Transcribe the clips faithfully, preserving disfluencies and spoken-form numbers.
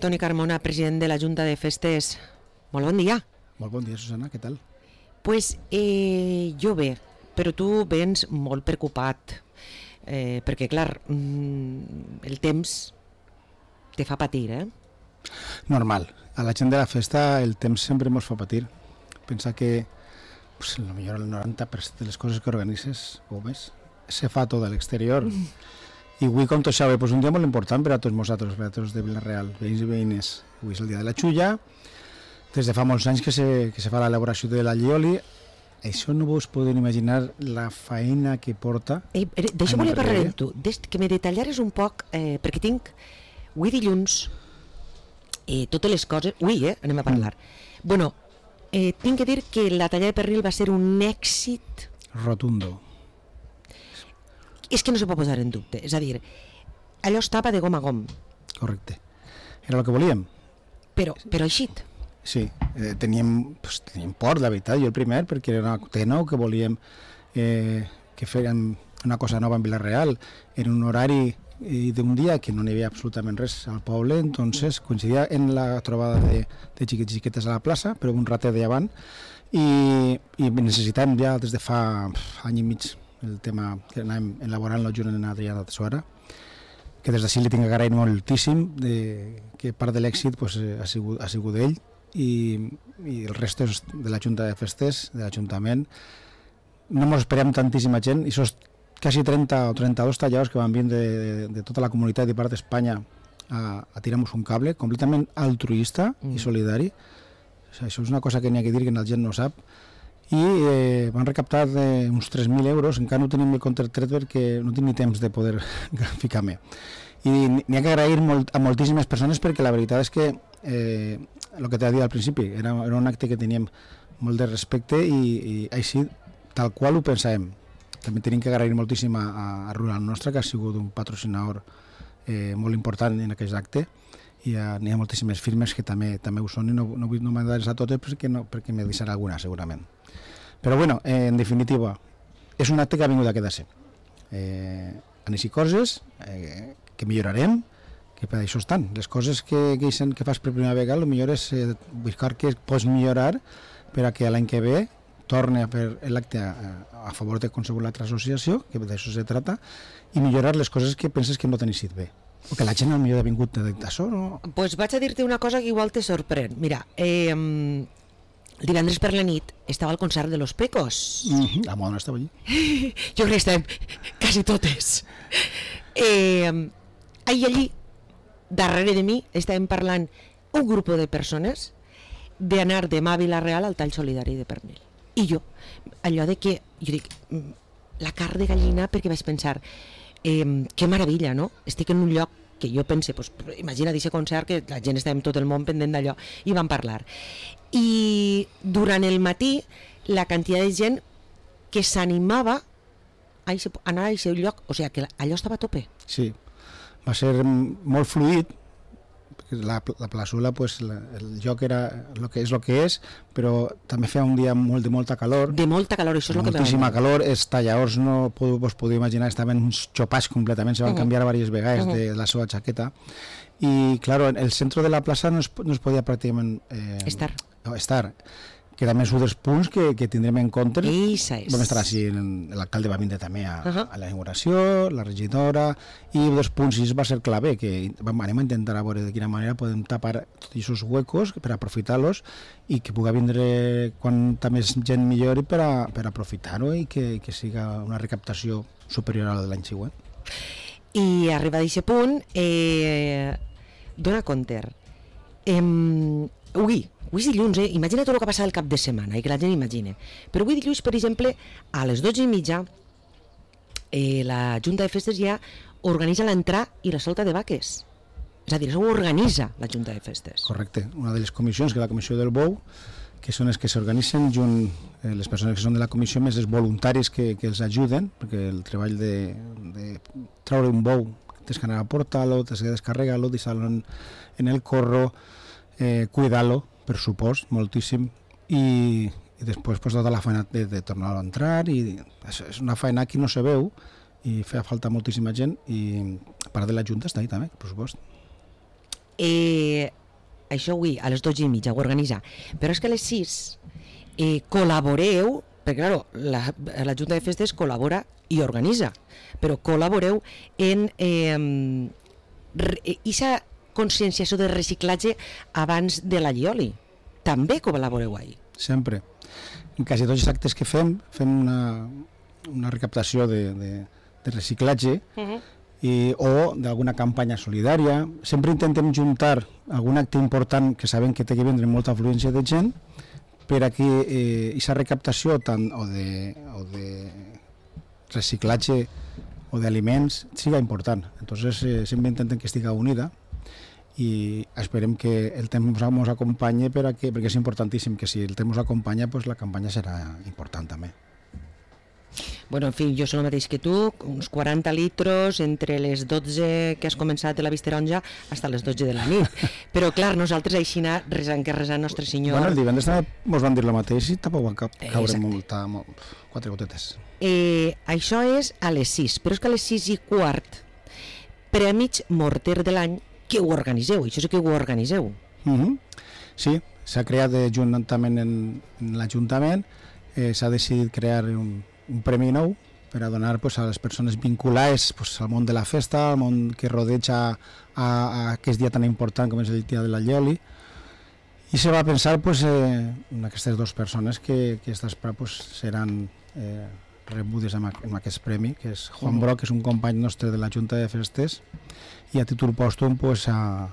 Toni Carmona, president de la Junta de Festes. Molt bon dia. Molt bon dia, Susana, què tal? Pues eh, jo bé, però tu vens molt preocupat, eh, perquè clar, mm, el temps te fa patir, eh? Normal, a la gent de la festa el temps sempre ens fa patir. Pensa que pues, a lo millor el noranta per cent de les coses que organitzes o més se fa tot a l'exterior. Mm. I avui, com tot sabeu, pues un dia molt important per a tots nosaltres, per a tots de Vila-real, veïns i veïnes. Avui és el dia de la xulla, des de fa molts anys que se, que se fa l'elaboració de la llioli. Això no vos podeu imaginar la feina que porta. Eh, D'això volia parlar amb tu, des, que me detallares un poc, eh, perquè tinc, avui dilluns, eh, totes les coses, avui eh, anem a parlar. Mm. Bueno, eh, tinc que dir que la talla de pernil va ser un èxit rotundo. És que no se pot posar en dubte, és a dir, allò estava de gom a gom. Correcte. Era el que volíem. Però, però eixit. Sí, eh, teníem, pues, teníem por, la veritat, jo el primer, perquè era una T nou que volíem eh, que fèiem una cosa nova en Vila-real, en un horari eh, d'un dia que no n'hi havia absolutament res al poble, entonces coincidia en la trobada de, de xiquets i xiquetes a la plaça, però un ratet d'avant, i, i necessitàvem ja des de fa pff, any i mig el tema que anàvem elaborant-lo junt amb Adrià de Suara, que des d'ací li tinc que agrair moltíssim, de, que part de l'èxit pues, ha sigut, ha sigut ell, i, i el resto de la Junta de Festes, de l'Ajuntament. No ens esperem tantíssima gent, i sos quasi trenta o trenta-dos talladors que van vindre de, de, de tota la comunitat i part d'Espanya a, a tirar-nos un cable, completament altruista mm. i solidari. O sigui, això és una cosa que n'hi ha que dir que la gent no sap. I eh, van recaptar eh, uns tres mil euros, encara no tenim el compte tret perquè no tinc ni temps de poder ficar-me. I n'hi ha que agrair molt, a moltíssimes persones, perquè la veritat és que eh, el que t'he dit al principi era, era un acte que teníem molt de respecte i, i així tal qual ho pensàvem. També tenim que agrair moltíssim a, a Rural Nostra, que ha sigut un patrocinador eh, molt important en aquest acte, i uh, n'hi ha moltíssimes firmes que també també ho són, i no, no vull no m'adreçar a totes perquè, no, perquè me deixarà alguna segurament. Però bueno, eh, en definitiva, és un acte que ha vingut a quedar-se. Eh, han eixit coses eh, que millorarem, que per això estan. Les coses que, que, que fas per primera vegada, el millor és eh, buscar que pots millorar per a que l'any que ve torni a fer l'acte a, a favor de qualsevol altra associació, que d'això se trata, i millorar les coses que penses que no t'han eixit bé. O que la gent al millor ha vingut d'això, no? Doncs pues vaig a dir-te una cosa que igual te sorprèn. Mira, eh, divendres per la nit estava al concert de Los Pecos. Mm-hmm. La moda no estava allí. Jo crec que estàvem quasi totes. Eh, ahir allí, darrere de mi, estàvem parlant un grup de persones d'anar demà a Vila-real al tall solidari de pernil. I jo, allò de que, jo dic, la carn de gallina, perquè vaig pensar, eh, que meravella, no? Estic en un lloc que jo pense, pues, imagina d'aquest concert que la gent estava en tot el món pendent d'allò, i van parlar. I durant el matí la quantitat de gent que s'animava a anar a aquest lloc, o sigui que allò estava a tope. Sí, va ser molt fluid, la, la plaçola, pues, la, el lloc era el que és el que és, però també feia un dia molt, de molta calor. De molta calor, això és el que m'agrada. Moltíssima calor, els talladors no us podeu imaginar, estaven xopats completament, se van uh-huh. canviar diverses vegades uh-huh. de la seva jaqueta. I, claro, el centre de la plaça no es, no es podia pràcticament eh, estar. estar. Que també és un dels punts que, que tindrem en compte. Eixa és. Vam estar així, l'alcalde va vindre també a, uh-huh. a la inauguració, la regidora, i un dels punts i va ser clave, que vam, anem a intentar a veure de quina manera podem tapar tots aquests huecos per aprofitar-los i que pugui vindre quanta més gent millor per, a, per aprofitar-ho i que, que siga una recaptació superior a la de l'any següent. I arribat a aquest punt, eh, dona compte. Eh, ui, Avui és dilluns, eh? Imagina tot el que passa el cap de setmana i que la gent imagine. Però avui dilluns, per exemple, a les dotze i mitja, eh, la Junta de Festes ja organitza l'entrada i la solta de vaques. És a dir, això ho organitza la Junta de Festes. Correcte. Una de les comissions, que és la comissió del bou, que són les que s'organitzen junt eh, les persones que són de la comissió, més els voluntaris que, que els ajuden, perquè el treball de, de treure un bou, tens que anar a portar-lo, tens que descarregar-lo, deixar-lo en, en el corro, eh, cuidar-lo, per supost, moltíssim, i, i després pues, tota la feina de, de tornar a entrar, i és, és una feina que no se veu, i feia falta moltíssima gent, i a part de la Junta està ahí també, per supost. Eh, això avui a les dotze i mitja ho organitza, però és que a les sis eh, col·laboreu, perquè claro, la, la Junta de Festes col·labora i organitza, però col·laboreu en eh, aquesta conscienciació de reciclatge abans de la Llioli. També col·laboreu ahí. Sempre. En quasi tots els actes que fem, fem una, una recaptació de, de, de reciclatge uh-huh. i, o d'alguna campanya solidària. Sempre intentem juntar algun acte important que sabem que té que vindre molta afluència de gent per a que aquesta eh, recaptació tant o de, o de reciclatge o d'aliments siga important. Entonces eh, sempre intentem que estigui unida i esperem que el temps ens acompanyi per a que, perquè és importantíssim que si el temps ens acompanya, pues la campanya serà important també. Bueno, en fi, jo soc el mateix que tu, uns quaranta litros entre les dotze que has començat de la Visteronja fins a les dotze de la nit. Però clar, nosaltres així anar resant que resant Nostre Senyor... Bueno, el divendres també ens van dir el mateix i tampoc van ca caure molta, molt, quatre gotetes. Eh, això és a les sis, però és que a les sis i quart, Prèmits Morter de l'any, que ho organitzeu, això sí que ho organitzeu. Uh-huh. Sí, s'ha creat juntament en, en l'Ajuntament, eh, s'ha decidit crear un, un premi nou per a donar pues, a les persones vinculades pues, al món de la festa, al món que rodeja a, a aquest dia tan important com és el dia de la Llioli, i se va pensar pues, eh, en aquestes dues persones que, que estas, pues, seran eh, rebudes amb, amb aquest premi, que és Juan Broc, que és un company nostre de la Junta de Festes, i a títol pòstum pues, a,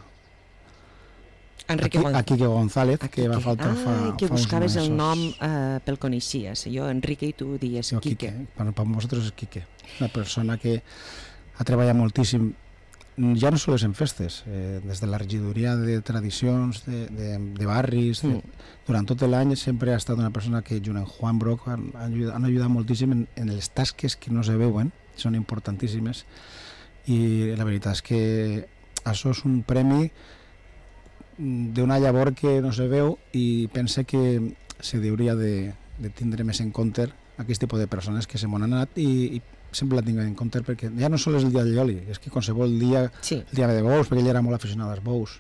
Enrique a, a Quique González, a que Quique. va faltar ah, fa, que fa uns buscaves mesos. el nom eh, pel coneixies, jo Enrique i tu dies Jo, Quique. Quique. Per, per nosaltres és Quique, una persona que ha treballat moltíssim, ja no sols en festes, eh, des de la regidoria de tradicions, de, de, de barris, de, mm. durant tot l'any sempre ha estat una persona que junt amb Juan Broc han, han, ajudat, han ajudat moltíssim en, en les tasques que no se veuen, són importantíssimes, i la veritat és que això és un premi d'una llavor que no se veu i pense que se hauria de, de tindre més en compte aquest tipus de persones que se m'han anat i, i sempre la tinc en compte perquè ja no sols és el dia de Llioli, és que qualsevol dia, sí. el dia de bous, perquè ell era molt aficionat als bous.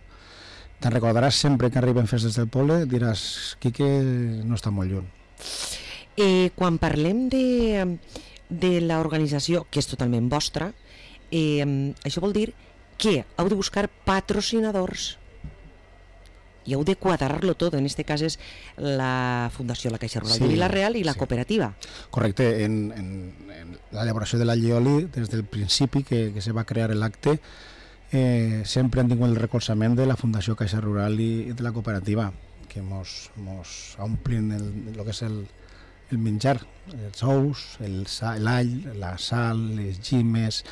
Te'n recordaràs sempre que arriben festes del poble, diràs, Quique no està molt lluny. Eh, quan parlem de, de l'organització, que és totalment vostra, eh, això vol dir que heu de buscar patrocinadors i heu de quadrar-lo tot. En aquest cas és la Fundació La Caixa Rural sí, de Vila-real i la sí. cooperativa. Correcte, en, en, en l'elaboració de la Llioli, des del principi que, que se va crear l'acte, eh, sempre han tingut el recolzament de la Fundació Caixa Rural i, i de la cooperativa, que mos, mos omplin el, el que és el, el menjar, els ous, l'all, la sal, les llimes,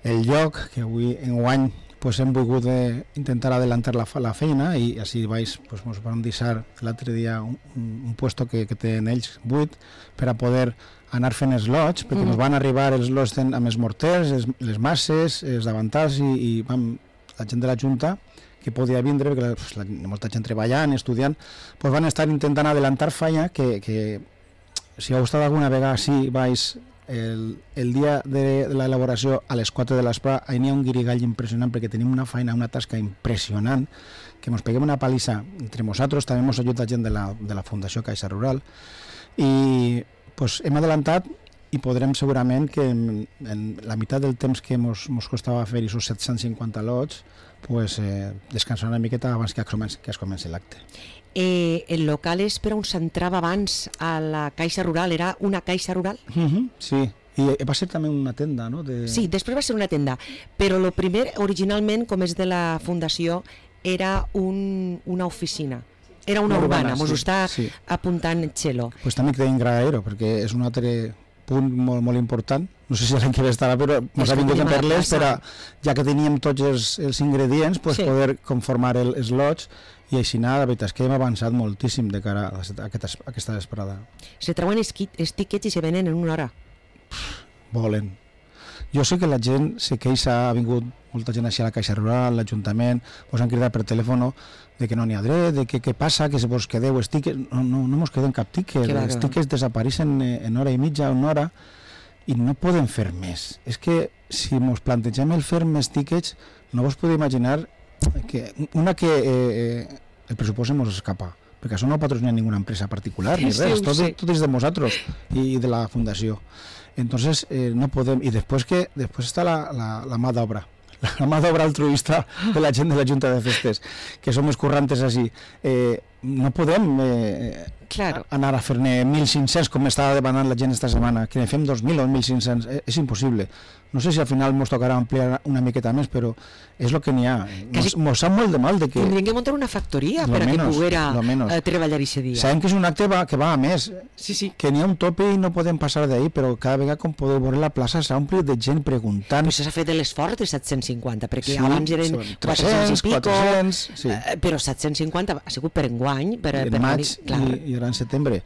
el lloc, que avui enguany pues, hem volgut eh, intentar adelantar la, la feina i així vaig, pues, ens van deixar l'altre dia un, un, un puesto que, que tenen ells buit per a poder anar fent els lots, perquè mm. ens van arribar els lots amb els morters, els, les masses, els davantals i, i vam, la gent de la Junta que podia vindre, perquè pues, la, molta gent treballant, estudiant, pues, van estar intentant adelantar feina que, que si heu estat alguna vegada així, vaig El, el dia de, de l'elaboració a les quatre de l'esprà, ahir n'hi ha un guirigall impressionant perquè tenim una feina, una tasca impressionant, que ens peguem una palissa entre nosaltres, també ens ajuda gent de la, de la Fundació Caixa Rural i pues, hem adelantat i podrem segurament que en, en la meitat del temps que ens costava fer aquests set-cents cinquanta lots pues, eh, descansar una miqueta abans que es comenci, que es comenci l'acte. Eh, el local és per on s'entrava abans a la Caixa Rural, era una Caixa Rural? Uh-huh, sí, i va ser també una tenda, no? De... Sí, després va ser una tenda, però el primer, originalment, com és de la Fundació, era un, una oficina. Era una, una urbana, mos sí, ho està sí. apuntant Txelo. Pues també que tenim Gradaero, perquè és un altre punt molt, molt important, no sé si l'any que ve estarà, però ens ha vingut a per-les, però ja que teníem tots els, els ingredients, pues, sí. poder conformar el, els lots. I així, la veritat és que hem avançat moltíssim de cara a aquesta, a aquesta vesprada. Se treuen els tíquets i se venen en una hora? Volen. Jo sé que la gent se queixa, ha vingut molta gent així a la Caixa Rural, l'Ajuntament, us han cridat per telèfon de que no n'hi ha dret, de que què passa, que se vos quedeu els tíquets. No, no, no mos quedem cap tíquet, els tíquets desapareixen en hora i mitja, una hora, i no podem fer més. És que si mos plantegem el fer més tíquets, no vos podeu imaginar que una que eh, el pressupost ens escapa, perquè això no patrocina ninguna empresa particular ni Sí, res, ho tot, sé. tot és de nosaltres i de la fundació. Entonces eh, no podem, i després que després està la, la, la mà d'obra, la mà d'obra altruista de la gent de la Junta de Festes, que som escurrantes així. Eh, no podem eh, Claro. anar a fer-ne mil cinc-cents com estava demanant la gent esta setmana, que ne fem dos mil o mil cinc-cents, eh, és impossible. No sé si al final ens tocarà ampliar una miqueta més, però és el que n'hi ha. Quasi- Mos sap molt de mal de que... Tindrien que muntar una factoria Lo per a que menos, poguera lo menos. eh, treballar aquest dia. Sabem que és un acte va, que va a més, Sí, sí. que n'hi ha un tope i no podem passar d'ahir, però cada vegada com podeu veure la plaça s'ha omplit de gent preguntant. Però s'ha fet l'esforç de set-cents cinquanta, perquè Sí, abans eren són quatre-cents i pico, quatre-cents, sí. eh, però set-cents cinquanta ha sigut per enguany, per, En per maig venir- clar. i, i ara en setembre.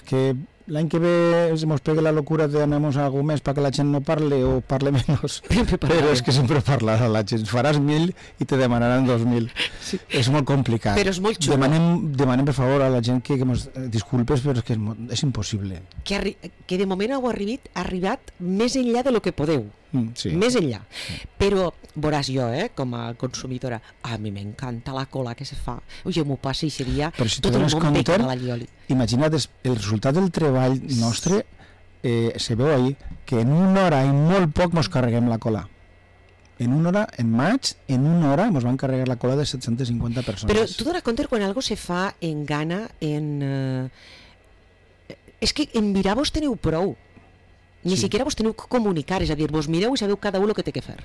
Que l'any que ve se mos pegue la locura de donar-nos alguna més perquè la gent no parle o parle menys. Sempre parlarem. Però és que sempre parlarà la gent. Faràs mil i te demanaran dos mil. Sí. És molt complicat. Però és molt xulo. Demanem, demanem per favor a la gent que, que mos eh, disculpes, però és que és, mo- és impossible. Que, arri que de moment heu arribat, arribat més enllà de lo que podeu. Mm, sí. Més enllà. Però veuràs jo, eh, com a consumidora, a mi m'encanta la cola que se fa. Jo m'ho passo i seria Però si te tot el dones món compte, becada a la Llioli. Imagina't, es- el resultat del treball nostre eh, se veu ahir que en una hora i molt poc mos carreguem la cola. En una hora, en maig, en una hora mos van carregar la cola de set-cents cinquanta persones. Però tu dones compte quan algo se fa en gana, en... Eh... És que en mirar vos teniu prou. Ni Sí. siquiera vos teniu que comunicar, és a dir, vos mireu i sabeu cada un el que té que fer.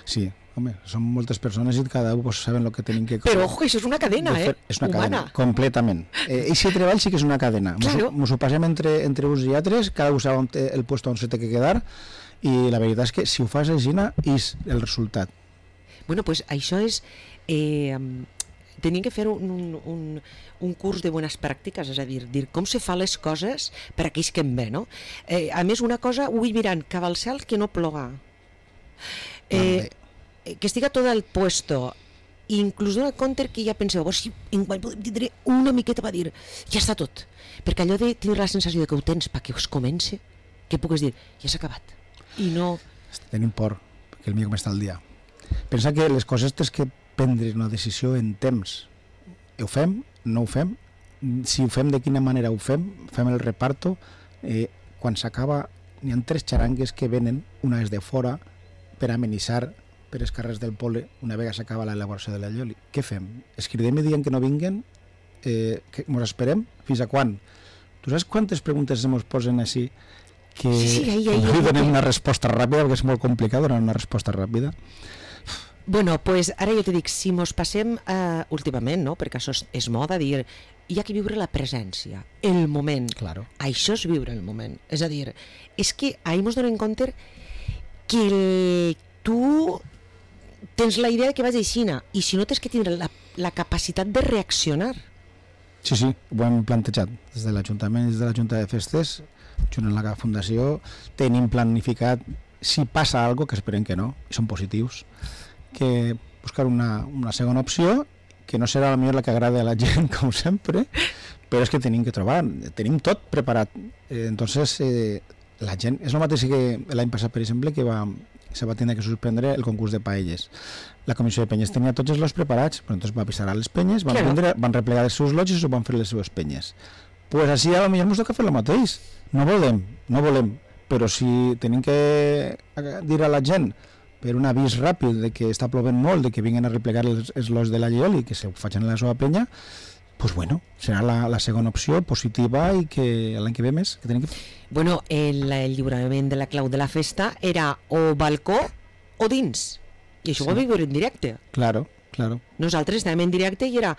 Sí, home, són moltes persones i cada un pues, saben el que tenim que... Però, ojo, això és una cadena, de eh? fer. És una Humana. cadena, completament. Eh, I si treball sí que és una cadena. Mos, Claro. mos ho passem entre, entre uns i altres, cada un sap on té el puesto on se té que quedar, i la veritat és que si ho fas així, és el resultat. Bueno, pues això és... Eh, tenien que fer un, un, un, un curs de bones pràctiques, és a dir, dir com se fa les coses per a aquells que en ve, no? Eh, a més, una cosa, ho vull mirant, cap al cel que no ploga. Eh, que estiga tot el puesto, inclús donar compte que ja penseu, oh, si enguany podem tindre una miqueta per dir, ja està tot, perquè allò de tindre la sensació de que ho tens perquè es comença, que pugues dir, ja s'ha acabat, i no... Tenim por, perquè el millor com està el dia. Pensa que les coses tens que prendre una decisió en temps. Ho fem? No ho fem? Si ho fem, de quina manera ho fem? Fem el reparto? Eh, quan s'acaba, n'hi ha tres xarangues que venen, una és de fora, per amenitzar per els carrers del poble, una vegada s'acaba l'elaboració de la Llioli. Què fem? Es cridem i diem que no vinguen? Eh, que mos esperem? Fins a quan? Tu saps quantes preguntes se mos posen així que Sí, sí, ahí, ahí, no li ahí. donem una resposta ràpida, perquè és molt complicat donar una resposta ràpida. Bueno, pues ara jo te dic, si mos passem eh, últimament, no? Perquè això és, és moda dir, hi ha que viure la presència, el moment. Claro. Això és viure el moment. És a dir, és que ahir mos donem compte que el, tu tens la idea de que vas aixina i si no tens que tindre la, la capacitat de reaccionar. Sí, sí, ho hem plantejat des de l'Ajuntament, des de la Junta de Festes, junt amb la Fundació, tenim planificat, si passa alguna cosa, que esperem que no, i són positius, que buscar una, una segona opció, que no serà la millor la que agrada a la gent, com sempre, però és que tenim que trobar, tenim tot preparat. Eh, entonces, eh, la gent, és el mateix que l'any passat, per exemple, que va, se va tenir que suspendre el concurs de paelles. La comissió de penyes tenia tots els lots preparats, però entonces va avisar a les penyes, van, Claro. prendre, van replegar els seus lots i s'ho van fer les seves penyes. Pues així a lo millor ens toca fer el mateix. No volem, no volem, però si tenim que dir a la gent per un avís ràpid de que està plovent molt, de que vinguin a replegar els, els lots de la Llioli, que se ho facin a la seva penya, pues bueno, serà la, la segona opció positiva i que l'any que ve més que tenim que... Bueno, el, el lliurament de la clau de la festa era o balcó o dins. I això Sí. ho vam viure en directe. Claro, claro. Nosaltres estàvem en directe i era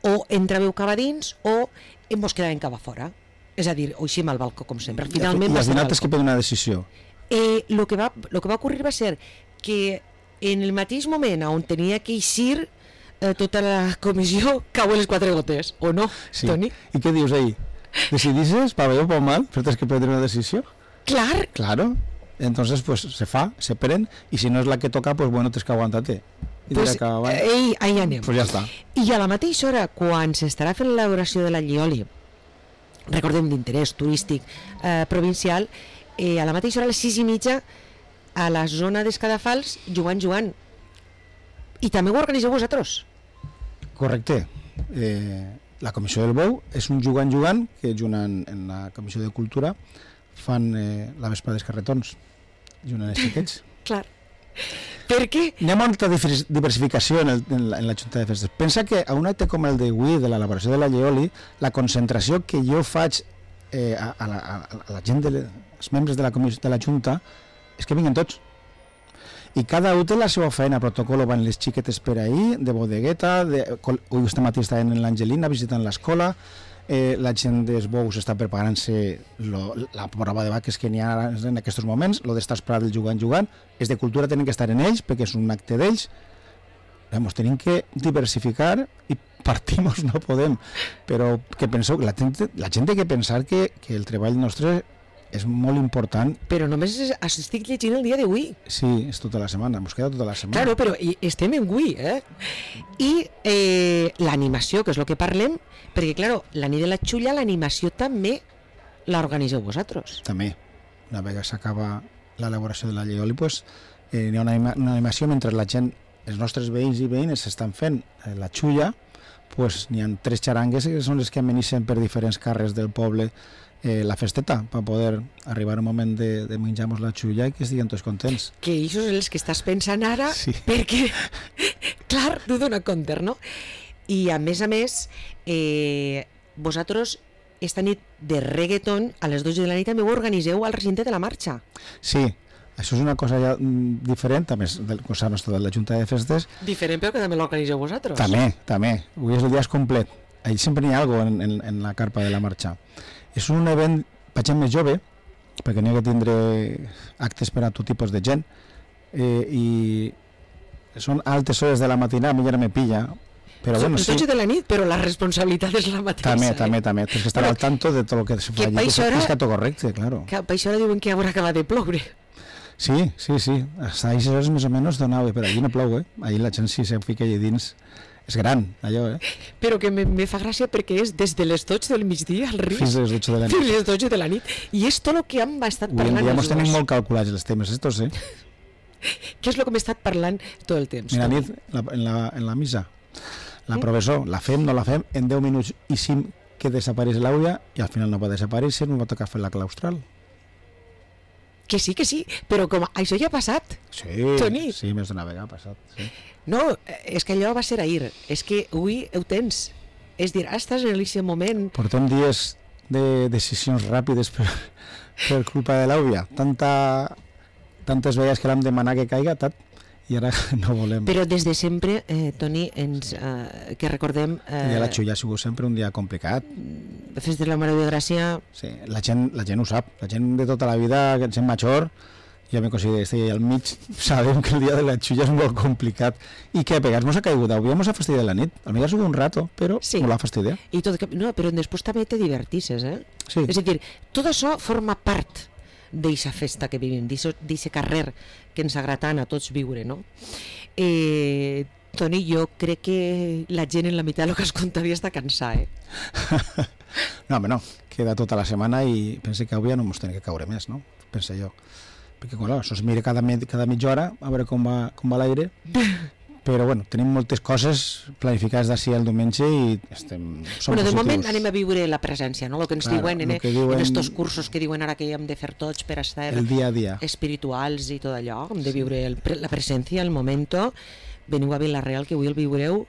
o entràveu cap a dins o ens quedàvem cap a fora. És a dir, o eixim al balcó, com sempre. Finalment I va al ser final al tens que balcó. prendre una decisió. Eh, lo, que va, lo que va ocurrir va ser que en el mateix moment on tenia que eixir eh, tota la comissió cau les quatre gotes, o no, Sí. Toni? I què dius ahí? Decidisses, pa bé o pa mal, però tens que prendre una decisió. Clar, Claro. Entonces, pues se fa, se pren, y si no es la que toca, pues bueno, tens que aguantar-te. I pues, dirà que avall, ei, ahí anem. pues ja està. I a la mateixa hora, quan s'estarà fent l'elaboració de la Llioli, recordem d'interès turístic eh, provincial, eh, a la mateixa hora, a les sis i mitja, a la zona d'Escadafals, jugant, jugant. I també ho organitzeu vosaltres? Correcte. Eh, la Comissió del Bou és un jugant-jugant que juntant en la Comissió de Cultura fan eh, la vespa dels carretons, juntant els xiquets. Clar. Per què? Hi ha molta diversificació en, el, en, la, en la Junta de Festes. Pensa que a un acte com el d'avui, de l'elaboració de la Lleoli, la concentració que jo faig eh, a, a, la, a la gent, de les, els membres de la, comissió, de la Junta, és que vinguen tots. I cada un té la seva feina, protocolo, van les xiquetes per ahir, de bodegueta, de, avui este matí estaven en l'Angelina visitant l'escola, eh, la gent dels bous està preparant-se lo, la prova de vaques que n'hi ha en aquests moments, lo d'estar esperant el jugant-jugant, és de cultura tenen que estar en ells, perquè és un acte d'ells. Vamos, tenim que diversificar i partimos no podem, però que penseu, la gent, la gent té que pensar que, que el treball nostre és molt important. Però només estic llegint el dia d'avui. Sí, és tota la setmana, ens queda tota la setmana. Claro, però estem en avui, eh? I eh, l'animació, que és el que parlem, perquè, claro, la nit de la xulla, l'animació també l'organitzeu vosaltres. També. Una vegada s'acaba l'elaboració de la Lleoli, pues, eh, hi ha una, anima, una animació mentre la gent, els nostres veïns i veïnes estan fent eh, la xulla, pues, n'hi ha tres xarangues que són les que amenitzen per diferents carrers del poble eh, la festeta, per poder arribar a un moment de, de menjar-nos la xulla i que estiguin tots contents. Que això és els que estàs pensant ara, sí. Perquè, clar, t'ho dona compte, no? I a més a més, eh, vosaltres esta nit de reggaeton a les dotze de la nit també ho organitzeu al recinte de la marxa. Sí, això és una cosa ja diferent, a més del cosa nostra de la Junta de Festes. Diferent, però que també l'organitzeu vosaltres. També, també. Avui és el dia complet. Allí sempre n'hi ha alguna cosa en, en, en la carpa de la marxa. És un event per gent més jove, perquè n'hi ha que tindre actes per a tot tipus de gent, eh, i són altes hores de la matinada, a mi ja no me pilla, però Són bueno, sí. dotze de la nit, però la responsabilitat és la mateixa. També, eh? també, també. Tens que estar però, al tanto de tot el que es fa que allí, que hora, és tot correcte, claro. Que per això diuen que haurà acabat de ploure. Sí, sí, sí. Hasta ahí hores més o menys donava, però allí no plou, eh? Allí la gent sí se fica allà dins. És gran, allò, eh? Però que me, me fa gràcia perquè és des de les dotze del migdia al riu fins a les dotze de la nit. Fins a les dotze de la nit. I és tot el que hem estat parlant. Avui en dia mos tenim molt calculats els temes estos, eh? Què és el que hem estat parlant tot el temps? Mira, nit, la, en, la, en la missa, la professor, la fem, no la fem, en deu minuts i cinc que desapareix l'àudia i al final no va desaparèixer, no va tocar fer la claustral. Que sí, que sí, però com això ja ha passat, sí, Toni. Sí, més d'una vegada ha passat, sí. No, és que allò va ser ahir, és que avui ho tens. És dir, estàs en aquest moment... Portem dies de decisions ràpides per, per culpa de l'àudia. Tanta, tantes vegades que l'hem demanat que caiga, tant, i ara no volem. Però des de sempre, eh, Toni, ens, eh, que recordem... Eh, el dia de la xulla ha sigut sempre un dia complicat. Fes de la Mare de Gràcia... Sí, la gent, la gent ho sap, la gent de tota la vida, gent major, ja me considero estar al mig, sabem que el dia de la xulla és molt complicat. I què, pegar-nos a caiguda, avui mos ha fastidiat la nit, almenys ha sigut un rato, però sí. No l'ha fastidiat. I tot, no, però després també te divertisses, eh? Sí. És a dir, tot això forma part d'eixa festa que vivim, d'eixe carrer que ens agrada a tots viure, no? Eh, Toni, jo crec que la gent en la meitat del que es contaria està cansada, eh? No, home, no, queda tota la setmana i pense que avui ja no ens tenim que caure més, no? Pense jo. Perquè, clar, això es mira cada, cada mitja hora a veure com va, com va l'aire, però, bueno, tenim moltes coses planificades d'ací al diumenge i estem, som bueno, de positius. moment anem a viure la presència, no? El que ens claro, diuen en, que diuen en estos cursos que diuen ara que hem de fer tots per estar el dia a dia. espirituals i tot allò, hem de viure el, la presència, el momento. Veniu a Vila-real, que avui el viureu,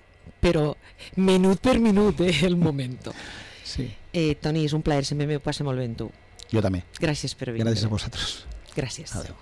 però minut per minut, eh, el momento. Sí. Eh, Toni, és un plaer, sempre m'ho passo molt bé amb tu. Jo també. Gràcies per vindre. Gràcies a vosaltres. Gràcies. Adéu.